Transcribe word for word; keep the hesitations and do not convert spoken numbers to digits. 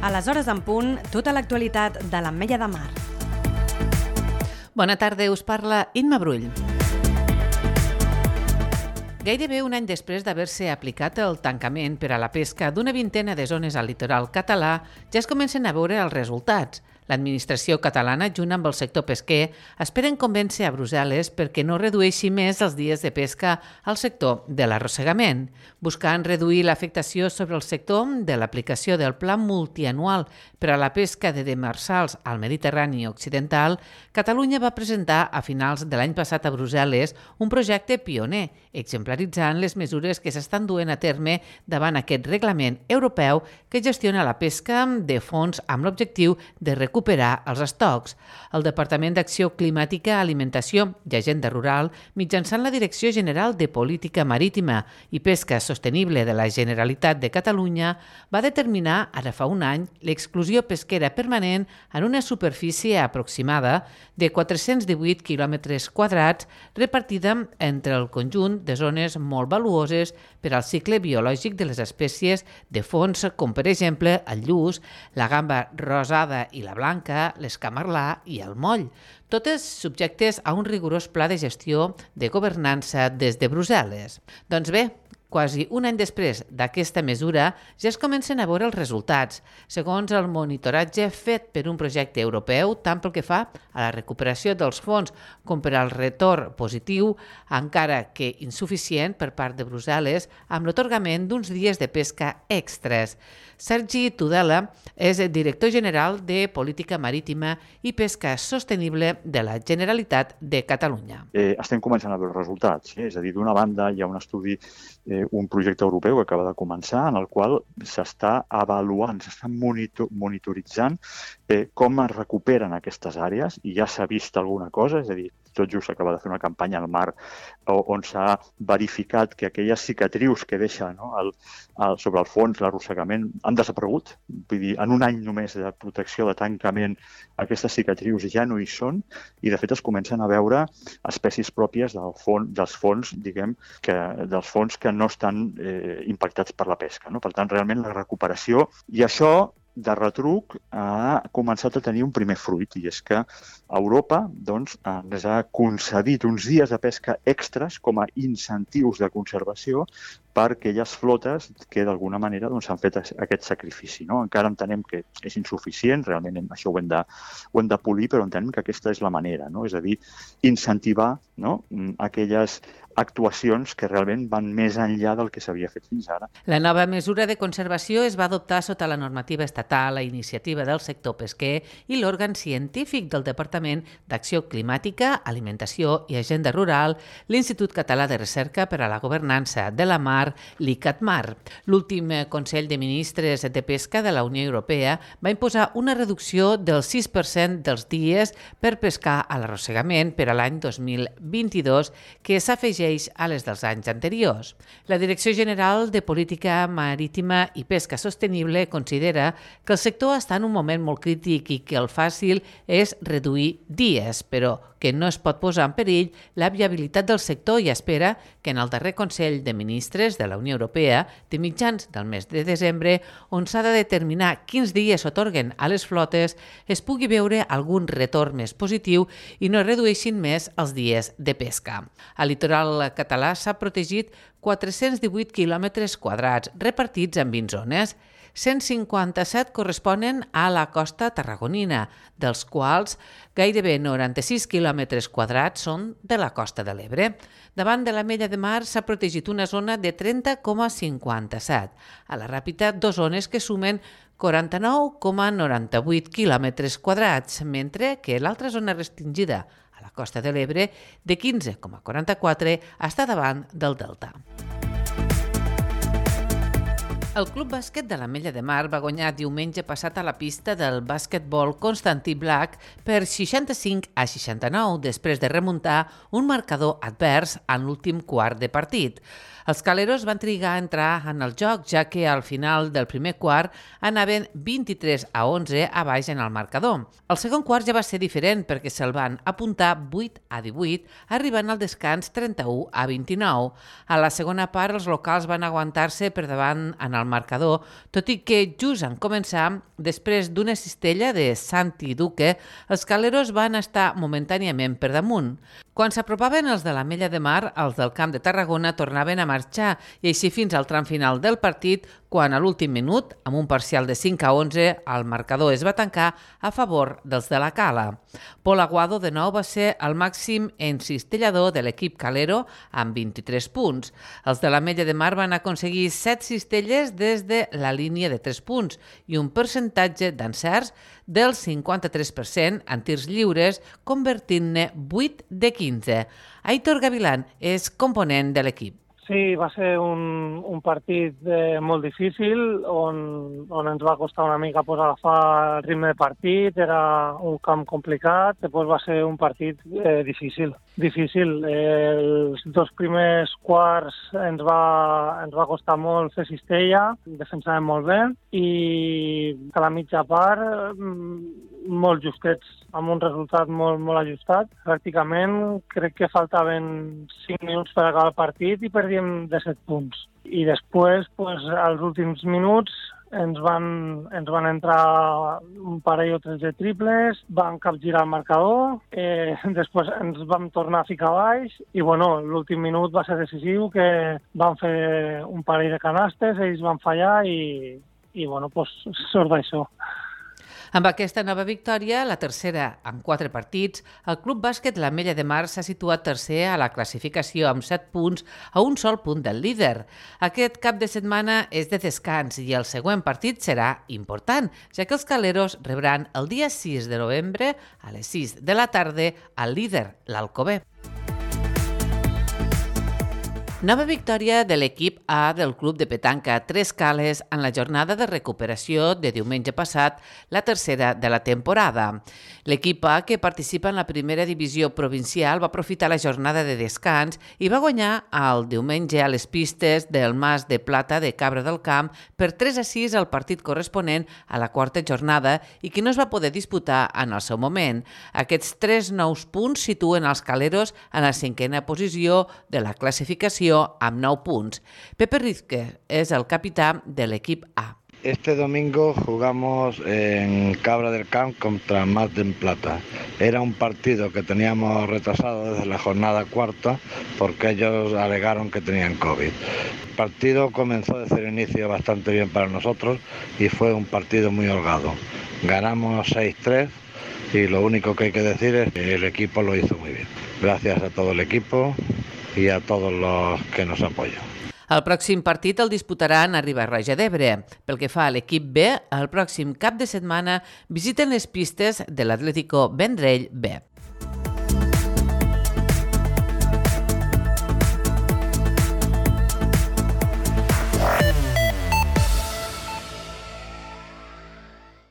A les hores en punt, tota l'actualitat de l'Ametlla de Mar. Bona tarda, us parla Imma Brull. Gairebé un any després d'haver-se aplicat el tancament per a la pesca d'una vintena de zones al litoral català, ja es comencen a veure els resultats. L'administració catalana, junt amb el sector pesquer, esperen convèncer a Brussel·les perquè no redueixi més els dies de pesca al sector de l'arrossegament, buscant reduir l'afectació sobre el sector de l'aplicació del Pla Multianual per a la pesca de demersals al Mediterrani Occidental. Catalunya va presentar a finals de l'any passat a Brussel·les un projecte pioner, exemplaritzant les mesures que s'estan duent a terme davant aquest reglament europeu que gestiona la pesca de fons amb l'objectiu de recuperar recuperar els estocs. El Departament d'Acció Climàtica, Alimentació i Agenda Rural, mitjançant la Direcció General de Política Marítima i Pesca Sostenible de la Generalitat de Catalunya, va determinar, ara fa un any, l'exclusió pesquera permanent en una superfície aproximada de quatre-cents divuit quilòmetres quadrats repartida entre el conjunt de zones molt valuoses per al cicle biològic de les espècies de fons, com per exemple el lluç, la gamba rosada i la blanca, l'escamarlà i el moll, totes subjectes a un rigorós pla de gestió de governança des de Brussel·les. Doncs bé, quasi un any després d'aquesta mesura, ja es comencen a veure els resultats, segons el monitoratge fet per un projecte europeu, tant pel que fa a la recuperació dels fons com per al retorn positiu, encara que insuficient per part de Brussel·les, amb l'atorgament d'uns dies de pesca extres. Sergi Tudela és director general de Política Marítima i Pesca Sostenible de la Generalitat de Catalunya. Eh, estem començant a veure els resultats. Eh? És a dir, d'una banda hi ha un estudi, eh, un projecte europeu que acaba de començar, en el qual s'està avaluant, s'està monitor, monitoritzant eh, com es recuperen aquestes àrees, i ja s'ha vist alguna cosa, és a dir, tot just s'acaba de fer una campanya al mar on s'ha verificat que aquelles cicatrius que deixa, no, el, el, sobre el fons, l'arrossegament, han desaparegut. Vull dir, en un any només de protecció, de tancament, aquestes cicatrius ja no hi són, i de fet es comencen a veure espècies pròpies del fons, dels fons, diguem, que, dels fons que no estan eh, impactats per la pesca. No? Per tant, realment la recuperació, i això de retruc ha començat a tenir un primer fruit, i és que Europa doncs, ens ha concedit uns dies de pesca extras com a incentius de conservació per aquelles flotes que d'alguna manera doncs, han fet aquest sacrifici. No? Encara entenem que és insuficient, realment això ho hem de, ho hem de polir, però entenem que aquesta és la manera, no? És a dir, incentivar, no, aquelles actuacions que realment van més enllà del que s'havia fet fins ara. La nova mesura de conservació es va adoptar sota la normativa estatal a iniciativa del sector pesquer i l'òrgan científic del Departament d'Acció Climàtica, Alimentació i Agenda Rural, l'Institut Català de Recerca per a la Governança de la Mar, l'ICATMAR. L'últim Consell de Ministres de Pesca de la Unió Europea va imposar una reducció del sis per cent dels dies per pescar a l'arrossegament per a l'any dos mil vint-i-dos, que s'afegeix a les dels anys anteriors. La Direcció General de Política Marítima i Pesca Sostenible considera que el sector està en un moment molt crític i que el fàcil és reduir dies, però que no es pot posar en perill la viabilitat del sector, i espera que en el darrer Consell de Ministres de la Unió Europea, de mitjans del mes de desembre, on s'ha de determinar quins dies s'atorguen a les flotes, es pugui veure algun retorn més positiu i no redueixin més els dies de pesca. Al litoral català s'ha protegit quatre-cents divuit quilòmetres quadrats repartits en vint zones. cent cinquanta-set corresponen a la costa tarragonina, dels quals gairebé noranta-sis quilòmetres quadrats són de la costa de l'Ebre. Davant de l'Ametlla de Mar s'ha protegit una zona de trenta coma cinquanta-set. A la Ràpita, dos zones que sumen quaranta-nou coma noranta-vuit quilòmetres quadrats, mentre que l'altra zona restringida, a la costa de l'Ebre, de quinze coma quaranta-quatre, està davant del Delta. El Club Bàsquet de l'Ametlla de Mar va guanyar diumenge passat a la pista del bàsquetbol Constantí Black per seixanta-cinc a seixanta-nou, després de remuntar un marcador advers en l'últim quart de partit. Els caleros van trigar a entrar en el joc, ja que al final del primer quart anaven vint-i-tres a onze a baix en el marcador. El segon quart ja va ser diferent perquè se'l van apuntar vuit a divuit, arribant al descans trenta-u a vint-i-nou. A la segona part, els locals van aguantar-se per davant en el marcador, tot i que just en començar, després d'una cistella de Santi Duque, els caleros van estar momentàniament per damunt. Quan s'apropaven els de l'Ametlla de Mar, els del Camp de Tarragona tornaven a marxar i així fins al tram final del partit, quan a l'últim minut, amb un parcial de cinc a onze, el marcador es va tancar a favor dels de la Cala. Pol Aguado de nou va ser el màxim encistellador de l'equip calero amb vint-i-tres punts. Els de l'Ametlla de Mar van aconseguir set cistelles des de la línia de tres punts i un percentatge d'encerts del cinquanta-tres per cent en tirs lliures, convertint-ne vuit de quinze. Aitor Gavilán és component de l'equip. Sí, va ser un, un partit eh, molt difícil, on, on ens va costar una mica pues, agafar el ritme de partit, era un camp complicat, després va ser un partit eh, difícil. Difícil. Eh, els dos primers quarts ens va, ens va costar molt fer cistella, defensàvem molt bé, i a la mitja part molt justets, amb un resultat molt, molt ajustat. Pràcticament crec que faltaven cinc minuts per acabar el partit i perdíem de set punts. I després, pues, als últims minuts, ens van, ens van entrar un parell o tres de triples, van capgirar el marcador, eh, després ens vam tornar a ficar baix i bueno, l'últim minut va ser decisiu, que van fer un parell de canastes, ells van fallar i, i bueno, pues, sort d'això. Amb aquesta nova victòria, la tercera en quatre partits, el Club Bàsquet l'Ametlla de Mar s'ha situat tercer a la classificació amb set punts a un sol punt del líder. Aquest cap de setmana és de descans i el següent partit serà important, ja que els caleros rebran el dia sis de novembre a les sis de la tarda al líder, l'Alcover. Nova victòria de l'equip A del Club de Petanca Tres Cales en la jornada de recuperació de diumenge passat, la tercera de la temporada. L'equip A, que participa en la primera divisió provincial, va aprofitar la jornada de descans i va guanyar el diumenge a les pistes del Mas de Plata de Cabra del Camp per tres a sis al partit corresponent a la quarta jornada i que no es va poder disputar en el seu moment. Aquests tres nous punts situen els caleros en la cinquena posició de la classificació amb nou punts. Pepe Rizque es el capitán del equipo A. Este domingo jugamos en Cabra del Camp contra Mas de Plata. Era un partido que teníamos retrasado desde la jornada cuarta porque ellos alegaron que tenían COVID. El partido comenzó desde el inicio bastante bien para nosotros y fue un partido muy holgado. Ganamos seis tres y lo único que hay que decir es que el equipo lo hizo muy bien. Gracias a todo el equipo i a tots els que nos apoyen. El pròxim partit el disputaran a Riba-roja d'Ebre. Pel que fa a l'equip B, el pròxim cap de setmana visiten les pistes de l'Atlético Vendrell B.